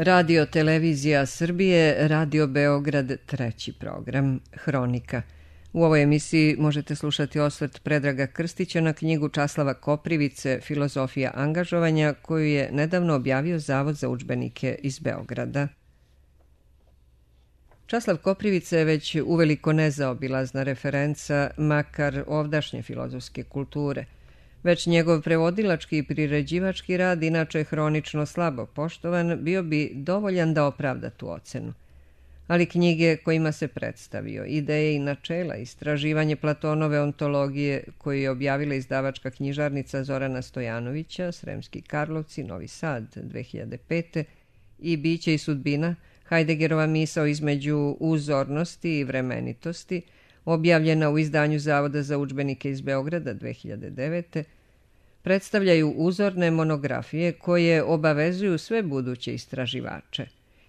Radio Televizija Srbije, Radio Beograd, treći program, Hronika. U ovoj emisiji možete slušati osvrt Predraga Krstića na knjigu Časlava Koprivice Filozofija angažovanja, koju je nedavno objavio Zavod za udžbenike iz Beograda. Časlav Koprivica je već uveliko nezaobilazna referenca, makar ovdašnje filozofske kulture. Već njegov prevodilački i priređivački rad, inače hronično slabo poštovan, bio bi dovoljan da opravda tu ocenu. Ali knjige kojima se predstavio, ideje i načela, istraživanje Platonove ontologije, koju je objavila izdavačka knjižarnica Zorana Stojanovića, Sremski Karlovci, Novi Sad, 2005. i Biće i sudbina, Heideggerova misao između uzornosti i vremenitosti, objavljena u izdanju Zavoda za udžbenike iz Beograda 2009. predstavljaju uzorne monografije koje obavezuju sve buduće istraživače.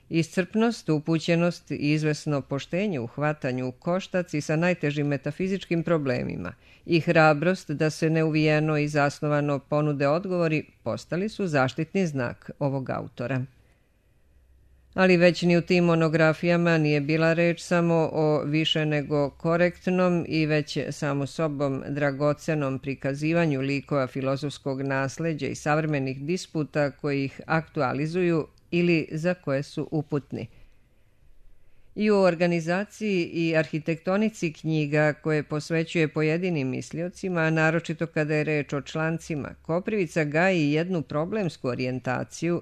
Iscrpnost, upućenost i izvesno poštenje u hvatanju u koštac i sa najtežim metafizičkim problemima i hrabrost da se neuvijeno i zasnovano ponude odgovori postali su zaštitni znak ovog autora. Ali već ni u tim monografijama nije bila reč samo o više nego korektnom i već samo sobom dragocenom prikazivanju likova filozofskog nasleđa i savremenih disputa koji ih aktualizuju ili za koje su uputni. I u organizaciji i arhitektonici knjiga koje posvećuje pojedinim misliocima, a naročito kada je reč o člancima, Koprivica gaji jednu problemsku orijentaciju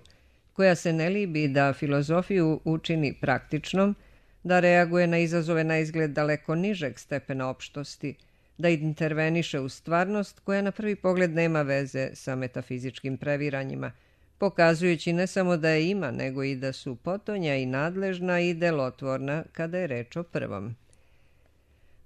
koja se ne libi da filozofiju učini praktičnom, da reaguje na izazove na izgled daleko nižeg stepena opštosti, da interveniše u stvarnost koja na prvi pogled nema veze sa metafizičkim previranjima, pokazujući ne samo da je ima, nego i da su potonja i nadležna i delotvorna kada je reč o prvom.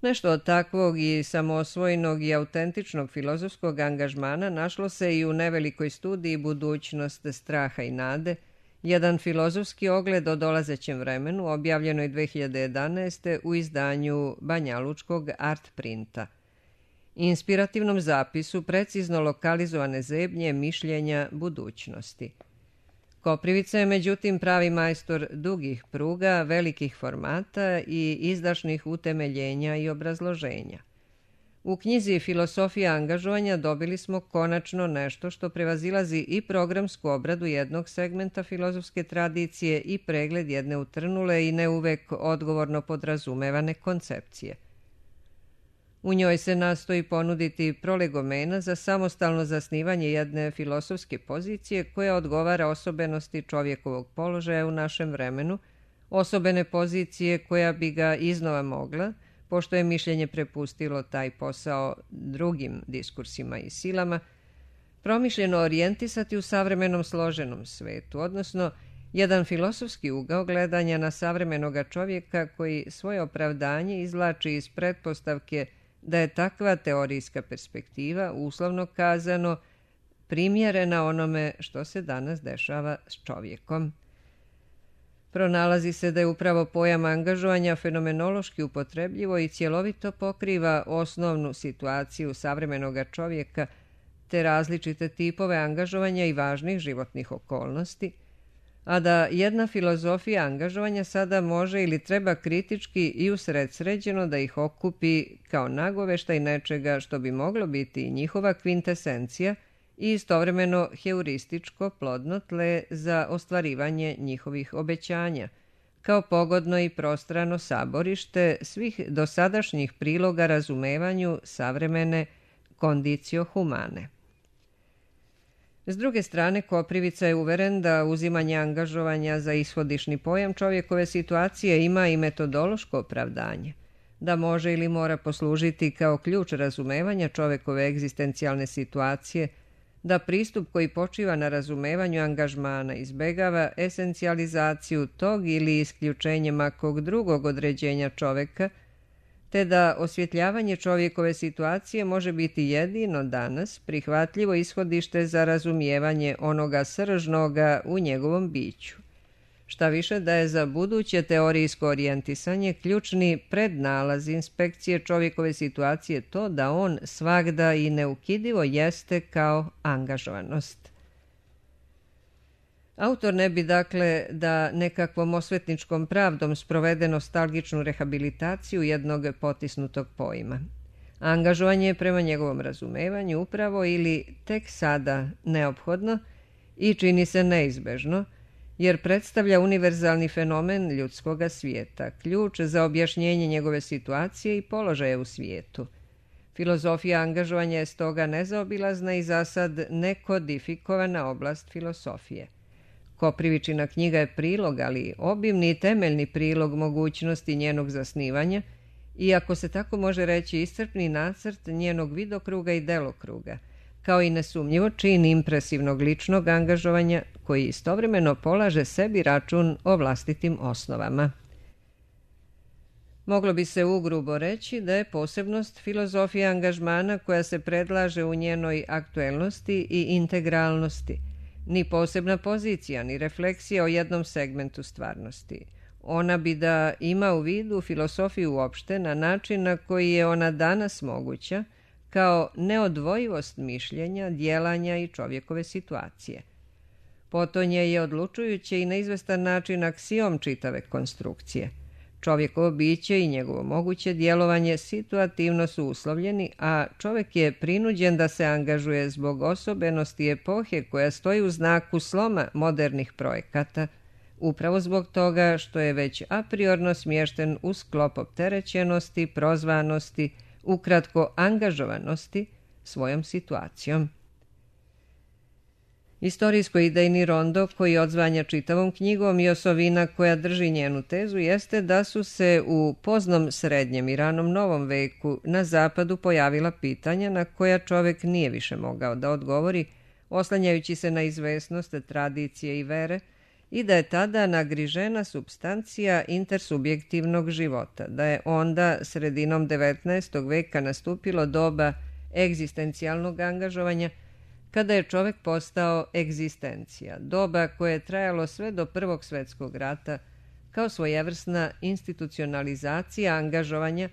Nešto od takvog i samoosvojenog i autentičnog filozofskog angažmana našlo se i u nevelikoj studiji Budućnost straha i nade, jedan filozofski ogled o dolazećem vremenu, objavljenoj 2011. u izdanju Banjalučkog Art Printa. Inspirativnom zapisu precizno lokalizovane zebnje mišljenja budućnosti. Koprivica je međutim pravi majstor dugih pruga, velikih formata i izdašnih utemeljenja i obrazloženja. U knjizi Filosofija angažovanja dobili smo konačno nešto što prevazilazi i programsku obradu jednog segmenta filozofske tradicije i pregled jedne utrnule i ne uvek odgovorno podrazumevane koncepcije. U njoj se nastoji ponuditi prolegomena za samostalno zasnivanje jedne filosofske pozicije koja odgovara osobenosti čovjekovog položaja u našem vremenu, osobene pozicije koja bi ga iznova mogla, pošto je mišljenje prepustilo taj posao drugim diskursima i silama, promišljeno orijentisati u savremenom složenom svetu, odnosno jedan filosofski ugao gledanja na savremenoga čovjeka koji svoje opravdanje izvlači iz pretpostavke da je takva teorijska perspektiva, uslovno kazano, primjerena onome što se danas dešava s čovjekom. Pronalazi se da je upravo pojam angažovanja fenomenološki upotrebljivo i cjelovito pokriva osnovnu situaciju savremenoga čovjeka te različite tipove angažovanja i važnih životnih okolnosti, a da jedna filozofija angažovanja sada može ili treba kritički i usredsređeno da ih okupi kao nagoveštaj nečega što bi moglo biti njihova kvintesencija i istovremeno heurističko plodno tle za ostvarivanje njihovih obećanja, kao pogodno i prostrano saborište svih dosadašnjih priloga razumevanju savremene condicio humane. S druge strane, Koprivica je uveren da uzimanje angažovanja za ishodišni pojam čovjekove situacije ima i metodološko opravdanje, da može ili mora poslužiti kao ključ razumevanja čovjekove egzistencijalne situacije, da pristup koji počiva na razumevanju angažmana izbegava esencijalizaciju tog ili isključenje makog drugog određenja čovjeka, te da osvjetljavanje čovjekove situacije može biti jedino danas prihvatljivo ishodište za razumijevanje onoga sržnoga u njegovom biću. Šta više da je za buduće teorijsko orijentisanje ključni prednalaz inspekcije čovjekove situacije to da on svagda i neukidivo jeste kao angažovanost. Autor ne bi, dakle, da nekakvom osvetničkom pravdom sprovede nostalgičnu rehabilitaciju jednog potisnutog pojma. Angažovanje je prema njegovom razumevanju upravo ili tek sada neophodno i čini se neizbežno, jer predstavlja univerzalni fenomen ljudskoga svijeta, ključ za objašnjenje njegove situacije i položaja u svijetu. Filozofija angažovanja je stoga nezaobilazna i zasad nekodifikovana oblast filosofije. Koprivičina knjiga je prilog, ali obimni i temeljni prilog mogućnosti njenog zasnivanja i, ako se tako može reći, iscrpni nacrt njenog vidokruga i delokruga, kao i nesumnjivo čin impresivnog ličnog angažovanja koji istovremeno polaže sebi račun o vlastitim osnovama. Moglo bi se ugrubo reći da je posebnost filozofije angažmana koja se predlaže u njenoj aktuelnosti i integralnosti, ni posebna pozicija, ni refleksija o jednom segmentu stvarnosti. Ona bi da ima u vidu filosofiju uopšte na način na koji je ona danas moguća, kao neodvojivost mišljenja, djelanja i čovjekove situacije. Potonje je odlučujuće i na izvestan način aksiom čitave konstrukcije. Čovjekovo biće i njegovo moguće djelovanje situativno su uslovljeni, a čovjek je prinuđen da se angažuje zbog osobenosti epohe koja stoji u znaku sloma modernih projekata, upravo zbog toga što je već a priorno smješten u sklop opterećenosti, prozvanosti, ukratko angažovanosti svojom situacijom. Istorijsko-idejni rondo koji odzvanja čitavom knjigom i osovina koja drži njenu tezu jeste da su se u poznom srednjem i ranom novom veku na zapadu pojavila pitanja na koja čovjek nije više mogao da odgovori, oslanjajući se na izvesnost tradicije i vere, i da je tada nagrižena supstancija intersubjektivnog života, da je onda sredinom 19. veka nastupilo doba egzistencijalnog angažovanja, kada je čovjek postao egzistencija, doba koje je trajalo sve do Prvog svjetskog rata, kao svojevrsna institucionalizacija angažovanja,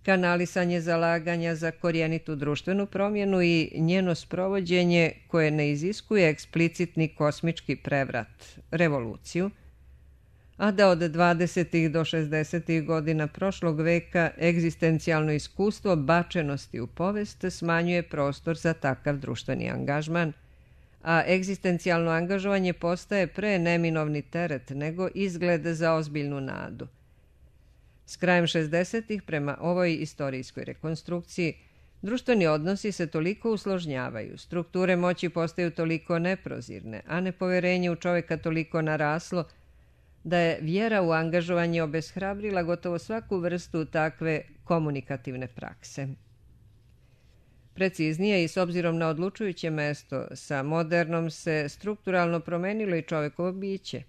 kanalisanje zalaganja za korjenitu društvenu promjenu i njeno sprovođenje koje ne iziskuje eksplicitni kosmički prevrat, revoluciju, a da od 20. do 60. godina prošlog veka egzistencijalno iskustvo bačenosti u povest smanjuje prostor za takav društveni angažman, a egzistencijalno angažovanje postaje pre neminovni teret nego izgled za ozbiljnu nadu. S krajem 60. prema ovoj istorijskoj rekonstrukciji društveni odnosi se toliko usložnjavaju, strukture moći postaju toliko neprozirne, a nepoverenje u čovjeka toliko naraslo, da je vjera u angažovanje obeshrabrila gotovo svaku vrstu takve komunikativne prakse. Preciznije i s obzirom na odlučujuće mesto, sa modernom se strukturalno promenilo i čovjekovo biće.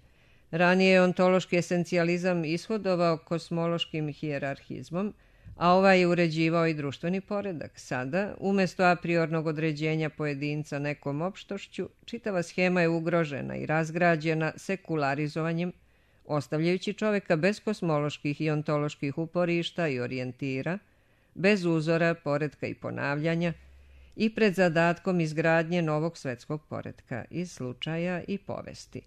Ranije je ontološki esencijalizam ishodovao kosmološkim hijerarhizmom, a ovaj je uređivao i društveni poredak. Sada, umjesto apriornog određenja pojedinca nekom opštošću, čitava schema je ugrožena i razgrađena sekularizovanjem, ostavljajući čovjeka bez kosmoloških i ontoloških uporišta i orijentira, bez uzora, poretka i ponavljanja i pred zadatkom izgradnje novog svjetskog poretka iz slučaja i povesti.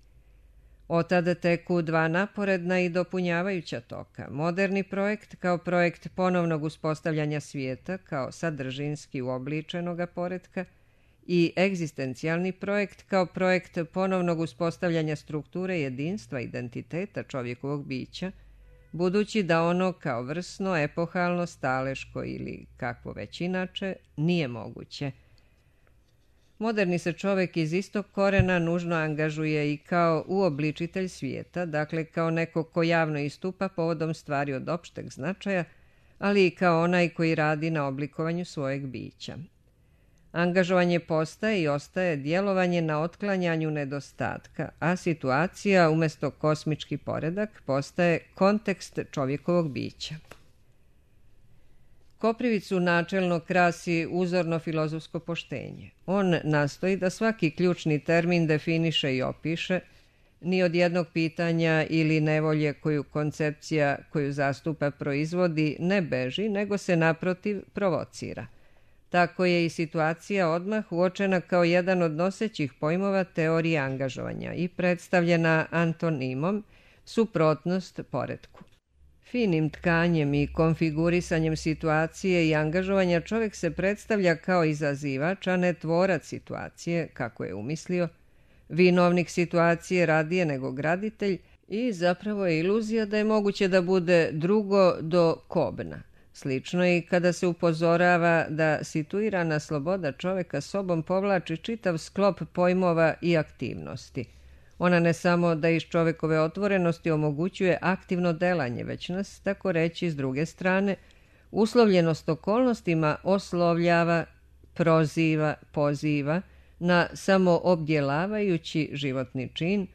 Otad teku dva naporedna i dopunjavajuća toka. Moderni projekt kao projekt ponovnog uspostavljanja svijeta kao sadržinski uobličenoga poretka i egzistencijalni projekt kao projekt ponovnog uspostavljanja strukture jedinstva identiteta čovjekovog bića, budući da ono kao vrsno, epohalno, staleško ili kakvo već inače nije moguće. Moderni se čovjek iz istog korena nužno angažuje i kao uobličitelj svijeta, dakle kao neko ko javno istupa povodom stvari od opšteg značaja, ali i kao onaj koji radi na oblikovanju svojeg bića. Angažovanje postaje i ostaje djelovanje na otklanjanju nedostatka, a situacija umjesto kosmički poredak postaje kontekst čovjekovog bića. Koprivicu načelno krasi uzorno filozofsko poštenje. On nastoji da svaki ključni termin definiše i opiše, ni od jednog pitanja ili nevolje koju koncepcija koju zastupa proizvodi ne beži, nego se naprotiv provocira. tako je i situacija odmah uočena kao jedan od nosećih pojmova teorije angažovanja i predstavljena antonimom suprotnost poretku. Finim tkanjem i konfigurisanjem situacije i angažovanja čovjek se predstavlja kao izazivač, a ne tvorac situacije, kako je umislio, vinovnik situacije radije nego graditelj i zapravo je iluzija da je moguće da bude drugo do kobna. Slično je i kada se upozorava da situirana sloboda čovjeka sobom povlači čitav sklop pojmova i aktivnosti. Ona ne samo da iz čovjekove otvorenosti omogućuje aktivno delanje, već nas, tako reći, s druge strane, uslovljenost okolnostima oslovljava, proziva, poziva na samoobdjelavajući životni čin,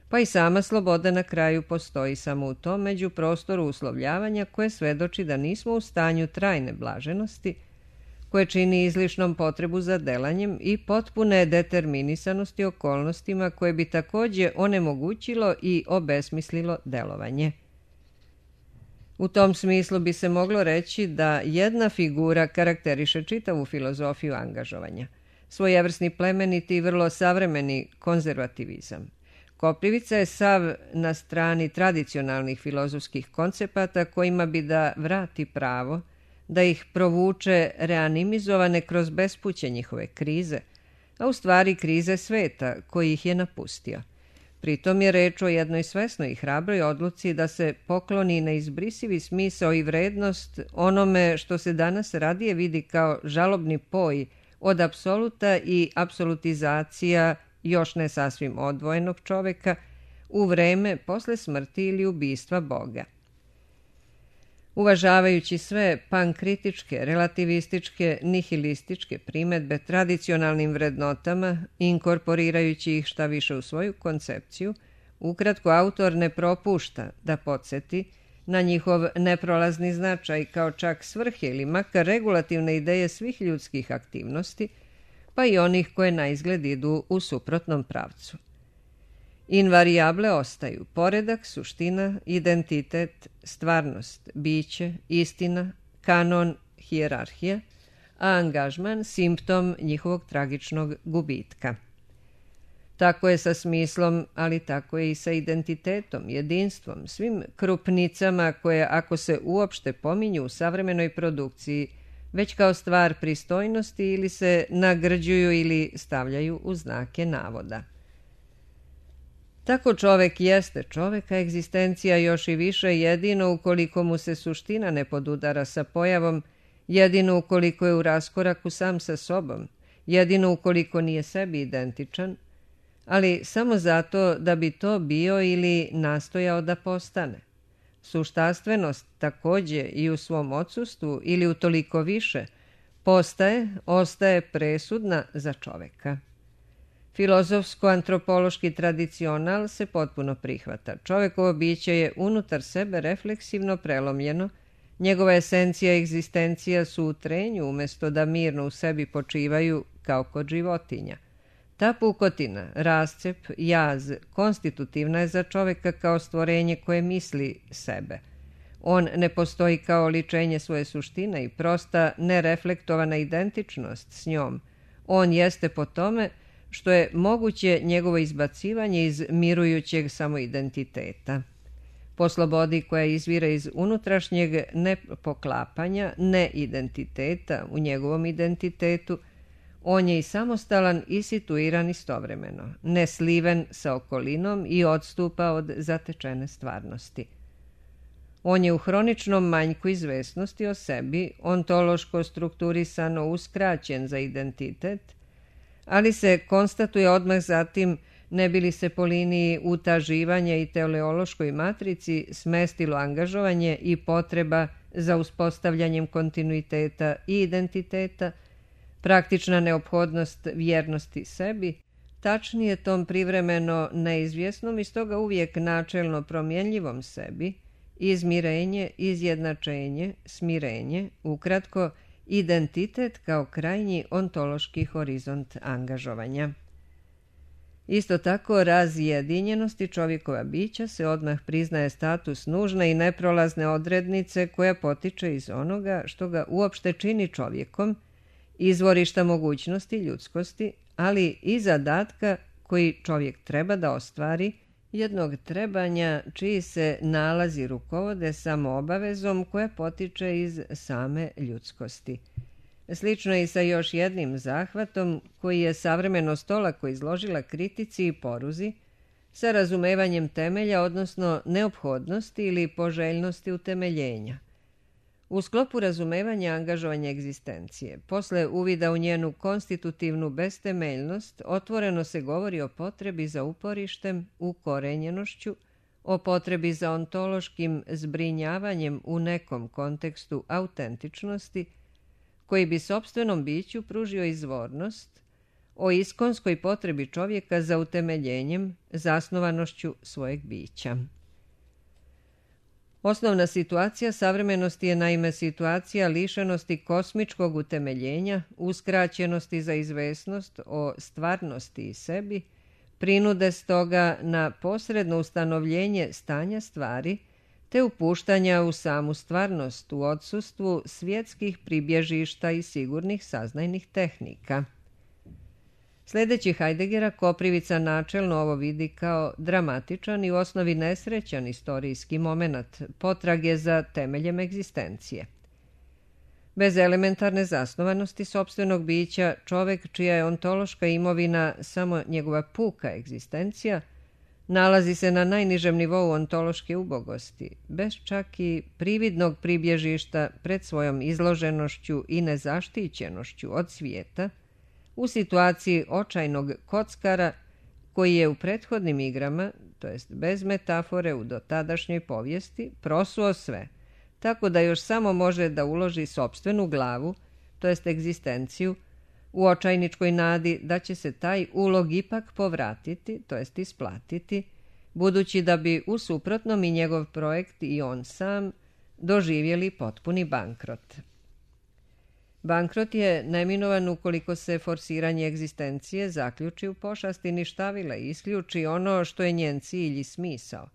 pa i sama sloboda na kraju postoji samo u tom međuprostoru uslovljavanja koje svedoči da nismo u stanju trajne blaženosti, koje čini izlišnom potrebu za delanjem i potpune determinisanosti okolnostima koje bi također onemogućilo i obesmislilo delovanje. U tom smislu bi se moglo reći da jedna figura karakteriše čitavu filozofiju angažovanja, svojevrsni plemeniti i vrlo savremeni konzervativizam. Koprivica je sav na strani tradicionalnih filozofskih koncepata kojima bi da vrati pravo, da ih provuče reanimizovane kroz bespuće njihove krize, a u stvari krize sveta koji ih je napustio. Pritom je reč o jednoj svesnoj i hrabroj odluci da se pokloni neizbrisivi smisao i vrednost onome što se danas radije vidi kao žalobni poj od apsoluta i apsolutizacija još ne sasvim odvojenog čoveka u vreme posle smrti ili ubistva Boga. Uvažavajući sve pankritičke, relativističke, nihilističke primedbe tradicionalnim vrednotama, inkorporirajući ih šta više u svoju koncepciju, ukratko autor ne propušta da podsjeti na njihov neprolazni značaj kao čak svrhe ili makar regulativne ideje svih ljudskih aktivnosti, pa i onih koje na izgled idu u suprotnom pravcu. Invarijable ostaju poredak, suština, identitet, stvarnost, biće, istina, kanon, hijerarhija, a angažman simptom njihovog tragičnog gubitka. Tako je sa smislom, ali tako je i sa identitetom, jedinstvom, svim krupnicama koje, ako se uopšte pominju u savremenoj produkciji, već kao stvar pristojnosti ili se nagrđuju ili stavljaju u znake navoda. Tako čovek jeste čovek, a egzistencija još i više jedino ukoliko mu se suština ne podudara sa pojavom, jedino ukoliko je u raskoraku sam sa sobom, jedino ukoliko nije sebi identičan, ali samo zato da bi to bio ili nastojao da postane. Suštastvenost također i u svom odsustvu ili utoliko više ostaje presudna za čoveka. Filozofsko-antropološki tradicional se potpuno prihvata. Čovekovo biće je unutar sebe refleksivno prelomljeno, njegova esencija i egzistencija su u trenju umjesto da mirno u sebi počivaju kao kod životinja. Ta pukotina, rascep, jaz, konstitutivna je za čoveka kao stvorenje koje misli sebe. On ne postoji kao ličenje svoje suštine i prosta nereflektovana identičnost s njom. On jeste po tome što je moguće njegovo izbacivanje iz mirujućeg samoidentiteta. Po slobodi koja izvira iz unutrašnjeg nepoklapanja, neidentiteta u njegovom identitetu, on je i samostalan i situiran istovremeno, nesliven sa okolinom i odstupa od zatečene stvarnosti. On je u hroničnom manjku izvesnosti o sebi, ontološko strukturisano uskraćen za identitet, ali se konstatuje odmah zatim ne bi li se po liniji utaživanja i teleološkoj matrici smestilo angažovanje i potreba za uspostavljanjem kontinuiteta i identiteta, praktična neophodnost vjernosti sebi, tačnije tom privremeno neizvjesnom i stoga uvijek načelno promjenljivom sebi, izmirenje, izjednačenje, smirenje, ukratko, identitet kao krajnji ontološki horizont angažovanja. Isto tako, razjedinjenosti čovjekova bića se odmah priznaje status nužne i neprolazne odrednice koja potiče iz onoga što ga uopšte čini čovjekom izvorišta mogućnosti ljudskosti, ali i zadatka koji čovjek treba da ostvari, jednog trebanja čiji se nalazi rukovode samo obavezom koja potiče iz same ljudskosti. Slično je i sa još jednim zahvatom koji je savremenost olako izložila kritici i poruzi, sa razumevanjem temelja, odnosno neophodnosti ili poželjnosti utemeljenja. U sklopu razumevanja angažovanja egzistencije, posle uvida u njenu konstitutivnu bestemeljnost, otvoreno se govori o potrebi za uporištem, ukorenjenošću, o potrebi za ontološkim zbrinjavanjem u nekom kontekstu autentičnosti, koji bi sopstvenom biću pružio izvornost, o iskonskoj potrebi čovjeka za utemeljenjem, zasnovanošću svojeg bića. Osnovna situacija savremenosti je naime situacija lišenosti kosmičkog utemeljenja, uskraćenosti za izvesnost o stvarnosti i sebi, prinude stoga na posredno ustanovljenje stanja stvari, te upuštanja u samu stvarnost u odsustvu svjetskih pribježišta i sigurnih saznajnih tehnika. Sljedeći Heideggera, Koprivica načelno ovo vidi kao dramatičan i u osnovi nesrećan istorijski moment potrage za temeljem egzistencije. Bez elementarne zasnovanosti sopstvenog bića, čovek čija je ontološka imovina samo njegova puka egzistencija, nalazi se na najnižem nivou ontološke ubogosti, bez čak i prividnog pribježišta pred svojom izloženošću i nezaštićenošću od svijeta, u situaciji očajnog kockara koji je u prethodnim igrama, to jest bez metafore u dotadašnjoj povijesti, prosuo sve, tako da još samo može da uloži sopstvenu glavu, to jest egzistenciju, u očajničkoj nadi da će se taj ulog ipak povratiti, to jest isplatiti, budući da bi u suprotnom i njegov projekt i on sam doživjeli potpuni bankrot. Bankrot je neminovan ukoliko se forsiranje egzistencije zaključi u pošasti ništavila i isključi ono što je njen cilj i smisao.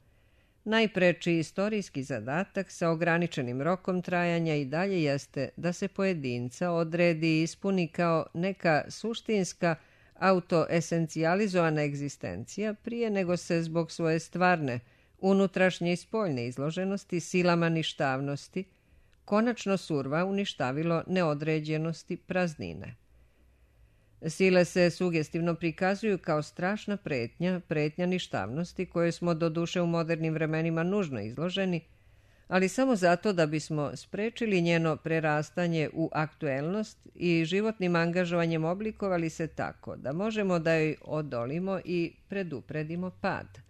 Najpreči istorijski zadatak sa ograničenim rokom trajanja i dalje jeste da se pojedinca odredi i ispuni kao neka suštinska autoesencijalizovana egzistencija prije nego se zbog svoje stvarne, unutrašnje i spoljne izloženosti silama ništavnosti konačno surva uništavilo neodređenosti praznine. Sile se sugestivno prikazuju kao strašna pretnja ništavnosti kojoj smo doduše u modernim vremenima nužno izloženi, ali samo zato da bismo sprečili njeno prerastanje u aktuelnost i životnim angažovanjem oblikovali se tako da možemo da joj odolimo i predupredimo pad.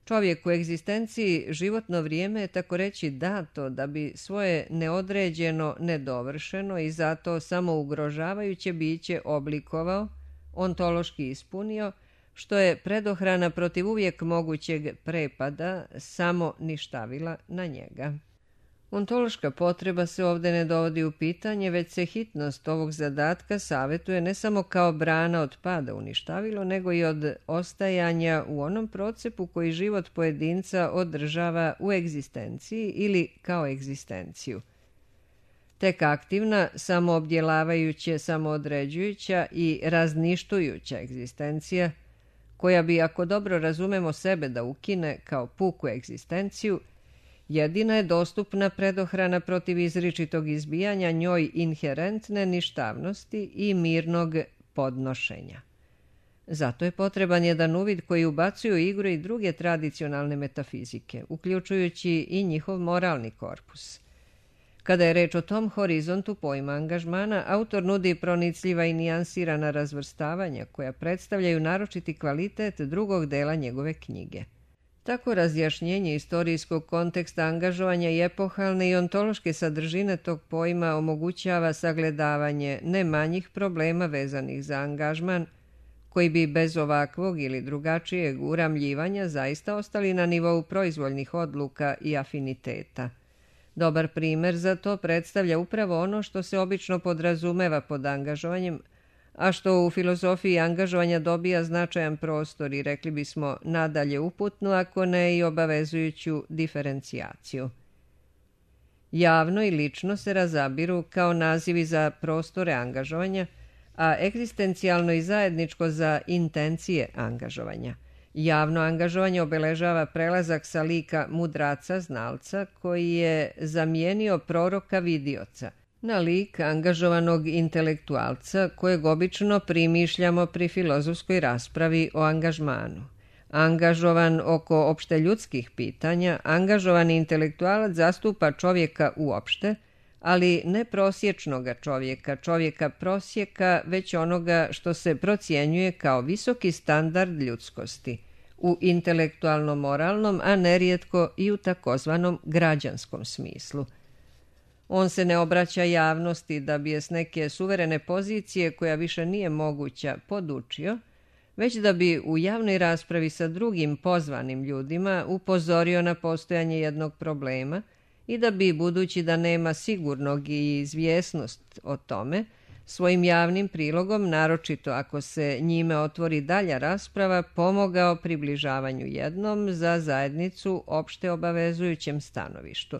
Čovjek u egzistenciji životno vrijeme je tako reći dato da bi svoje neodređeno, nedovršeno i zato samo ugrožavajuće biće oblikovao, ontološki ispunio, što je predohrana protiv uvijek mogućeg prepada samo ništavila na njega. Ontološka potreba se ovdje ne dovodi u pitanje, već se hitnost ovog zadatka savjetuje ne samo kao brana od pada uništavilo, nego i od ostajanja u onom procepu koji život pojedinca održava u egzistenciji ili kao egzistenciju. Tek aktivna, samoobdjelavajuća, samoodređujuća i razništujuća egzistencija, koja bi, ako dobro razumemo sebe da ukine kao puku egzistenciju, jedina je dostupna predohrana protiv izričitog izbijanja njoj inherentne ništavnosti i mirnog podnošenja. Zato je potreban jedan uvid koji ubacuju u igru i druge tradicionalne metafizike, uključujući i njihov moralni korpus. Kada je reč o tom horizontu pojma angažmana, autor nudi pronicljiva i nijansirana razvrstavanja koja predstavljaju naročiti kvalitet drugog dela njegove knjige. Tako razjašnjenje istorijskog konteksta angažovanja i epohalne i ontološke sadržine tog pojma omogućava sagledavanje ne manjih problema vezanih za angažman, koji bi bez ovakvog ili drugačijeg uramljivanja zaista ostali na nivou proizvoljnih odluka i afiniteta. Dobar primjer za to predstavlja upravo ono što se obično podrazumeva pod angažovanjem, a što u filozofiji angažovanja dobija značajan prostor i rekli bismo nadalje uputnu, ako ne i obavezujuću diferencijaciju. Javno i lično se razabiru kao nazivi za prostore angažovanja, a egzistencijalno i zajedničko za intencije angažovanja. Javno angažovanje obeležava prelazak sa lika mudraca, znalca, koji je zamijenio proroka vidioca, na lik angažovanog intelektualca kojeg obično primišljamo pri filozofskoj raspravi o angažmanu. Angažovan oko opšte ljudskih pitanja, angažovani intelektualac zastupa čovjeka uopšte, ali ne prosječnoga čovjeka, čovjeka prosjeka, već onoga što se procjenjuje kao visoki standard ljudskosti, u intelektualno-moralnom, a nerijetko i u takozvanom građanskom smislu. On se ne obraća javnosti da bi je s neke suverene pozicije, koja više nije moguća, podučio, već da bi u javnoj raspravi sa drugim pozvanim ljudima upozorio na postojanje jednog problema i da bi, budući da nema sigurnog i izvjesnost o tome, svojim javnim prilogom, naročito ako se njime otvori dalja rasprava, pomogao približavanju jednom za zajednicu opšte obavezujućem stanovištu.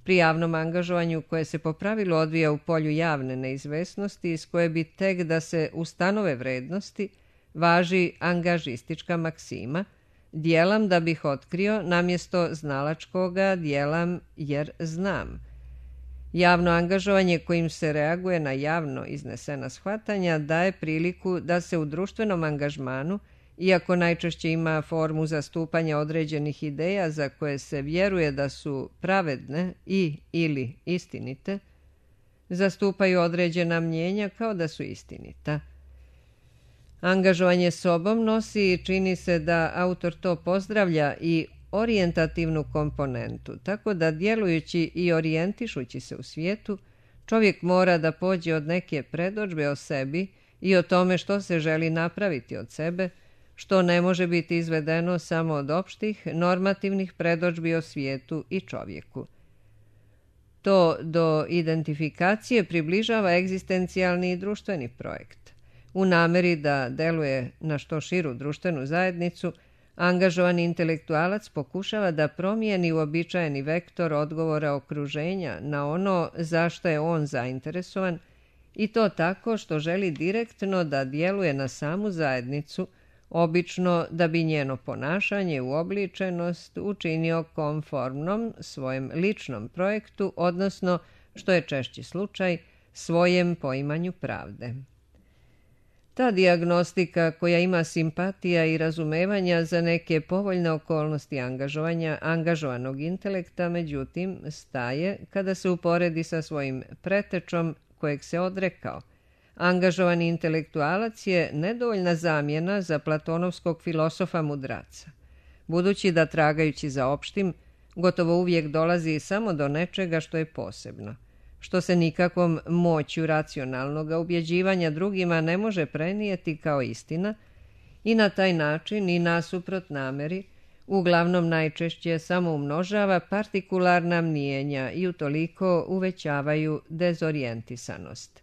Pri javnom angažovanju, koje se po pravilu odvija u polju javne neizvesnosti, iz koje bi tek da se ustanove vrednosti, važi angažistička maksima: djelam da bih otkrio, namjesto znalačkoga djelam jer znam. Javno angažovanje kojim se reaguje na javno iznesena shvatanja daje priliku da se u društvenom angažmanu, iako najčešće ima formu zastupanja određenih ideja za koje se vjeruje da su pravedne i ili istinite, zastupaju određena mnjenja kao da su istinita. Angažovanje sobom nosi i čini se da autor to pozdravlja i orijentativnu komponentu, tako da djelujući i orijentišući se u svijetu, čovjek mora da pođe od neke predodžbe o sebi i o tome što se želi napraviti od sebe, što ne može biti izvedeno samo od opštih, normativnih predodžbi o svijetu i čovjeku. To do identifikacije približava egzistencijalni i društveni projekt. U nameri da deluje na što širu društvenu zajednicu, angažovani intelektualac pokušava da promijeni uobičajeni vektor odgovora okruženja na ono za što je on zainteresovan, i to tako što želi direktno da djeluje na samu zajednicu, obično da bi njeno ponašanje uobličenost učinio konformnom svojem ličnom projektu, odnosno, što je češći slučaj, svojem poimanju pravde. Ta dijagnostika, koja ima simpatija i razumevanja za neke povoljne okolnosti angažovanja angažovanog intelekta, međutim, staje kada se uporedi sa svojim pretečom kojeg se odrekao. Angažovani intelektualac je nedovoljna zamjena za platonovskog filosofa mudraca, budući da, tragajući za opštim, gotovo uvijek dolazi samo do nečega što je posebno, što se nikakvom moću racionalnog ubjeđivanja drugima ne može prenijeti kao istina, i na taj način i nasuprot nameri uglavnom najčešće samo umnožava partikularna mnijenja i utoliko uvećavaju dezorijentisanost.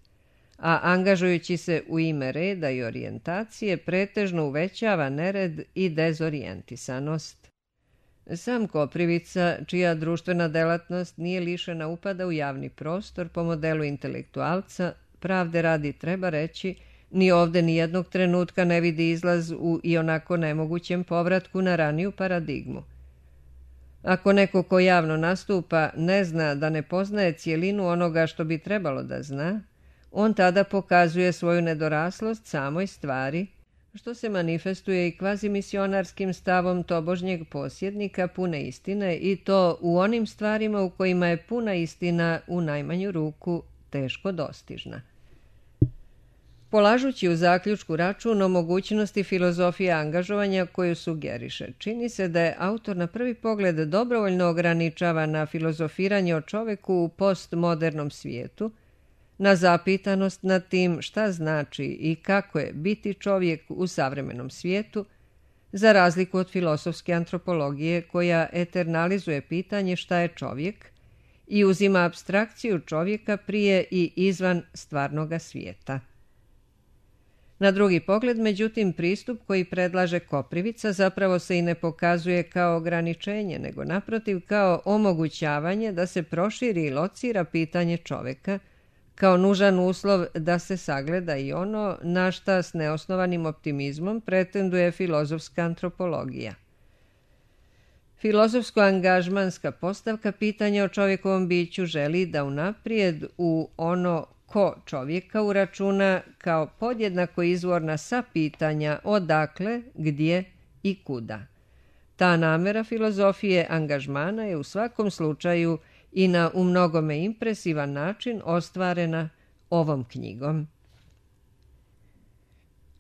A angažujući se u ime reda i orijentacije, pretežno uvećava nered i dezorijentisanost. Sam Koprivica, čija društvena delatnost nije lišena upada u javni prostor po modelu intelektualca, pravde radi treba reći, ni ovde ni jednog trenutka ne vidi izlaz u ionako nemogućem povratku na raniju paradigmu. Ako neko ko javno nastupa ne zna da ne poznaje cijelinu onoga što bi trebalo da zna, on tada pokazuje svoju nedoraslost samoj stvari, što se manifestuje i kvazimisionarskim stavom tobožnjeg posjednika pune istine, i to u onim stvarima u kojima je puna istina u najmanju ruku teško dostižna. Polažući u zaključku račun o mogućnosti filozofije angažovanja koju sugeriše, čini se da je autor na prvi pogled dobrovoljno ograničava na filozofiranje o čoveku u postmodernom svijetu, na zapitanost nad tim šta znači i kako je biti čovjek u savremenom svijetu, za razliku od filosofske antropologije koja eternalizuje pitanje šta je čovjek i uzima apstrakciju čovjeka prije i izvan stvarnoga svijeta. Na drugi pogled, međutim, pristup koji predlaže Koprivica zapravo se i ne pokazuje kao ograničenje, nego naprotiv kao omogućavanje da se proširi i locira pitanje čoveka, kao nužan uslov da se sagleda i ono na šta s neosnovanim optimizmom pretenduje filozofska antropologija. Filozofsko-angažmanska postavka pitanja o čovjekovom biću želi da unaprijed u ono ko čovjeka uračuna kao podjednako izvorna sva pitanja odakle, gdje i kuda. Ta namera filozofije angažmana je u svakom slučaju i na u mnogome impresivan način ostvarena ovom knjigom.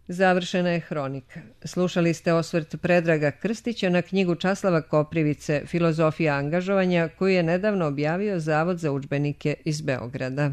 Završena je hronika. Slušali ste osvrt Predraga Krstića na knjigu Časlava Koprivice Filozofija angažovanja, koju je nedavno objavio Zavod za udžbenike iz Beograda.